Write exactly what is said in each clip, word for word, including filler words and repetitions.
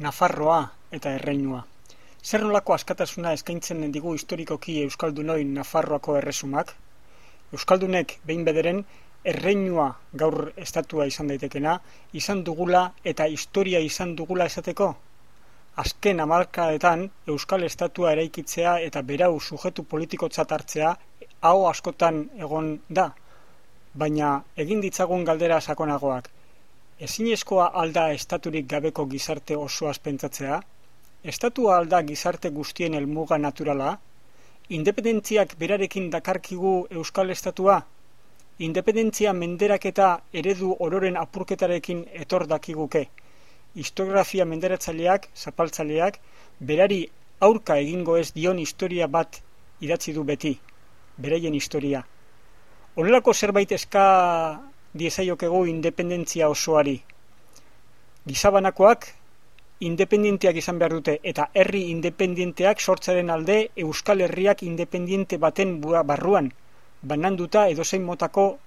Nafarroa eta erreinua. Zer nolako askatasuna eskaintzen digu historikoki euskaldunoi Nafarroako erresumak? Euskaldunek behin bederen erreinua gaur estatua izan daitekena, izan dugula eta historia izan dugula esateko? Azken hamarkadetan euskal estatua eraikitzea eta berau sujetu politikotzat hartzea hau askotan egon da, baina egin ditzagun galdera sakonagoak. Ezinezkoa alda estaturik gabeko gizarte osoaz pentsatzea? Estatua alda gizarte guztien helmuga naturala? Independentziak berarekin dakarkigu euskal estatua? Independentzia menderaketa eredu ororen apurketarekin etor dakiguke. Historiografia menderatzaileak, zapaltzaileak, berari aurka egingo ez dion historia bat idatzi du beti, beraien historia. Honelako zerbait eska diezaiokegu independentzia osoari. Gizabanakoak independenteak izan behar dute eta herri independenteak sortzaren alde Euskal Herriak independente baten barruan, bananduta edozein motako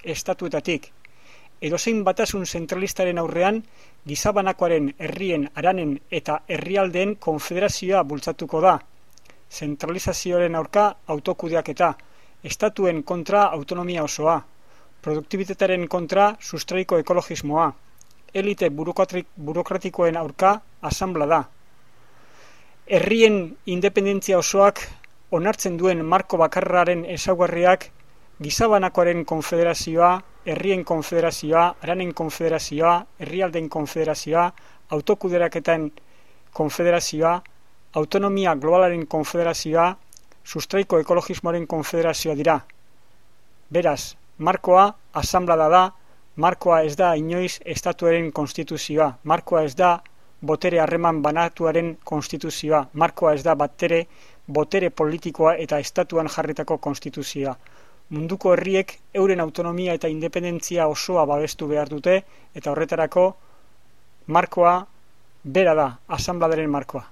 estatuetatik. Edozein batasun zentralistaren aurrean, gizabanakoaren herrien, haranen eta herrialdeen konfederazioa bultzatuko da. Zentralizazioaren aurka autokudeaketa, estatuen kontra autonomia osoa, produktibitatearen kontra sustraiko ekologismoa, elite burokratikoen aurka asanbla da. Herrien independentzia osoak onartzen duen marko bakarraren ezaugarriak gizabanakoaren konfederazioa, herrien konfederazioa, haranen konfederazioa, herrialdeen konfederazioa, autokudeaketen konfederazioa, autonomia globalaren konfederazioa, sustraiko ekologismoaren konfederazioa dira. Beraz, markoa asanblada da, markoa ez da inoiz estatuaren konstituzioa, markoa ez da botere harreman banatuaren konstituzioa, markoa ez da batere botere politikoa eta estatuan jarritako konstituzioa. Munduko herriek euren autonomia eta independentzia osoa babestu behar dute eta horretarako markoa bera da, asanbladaren markoa.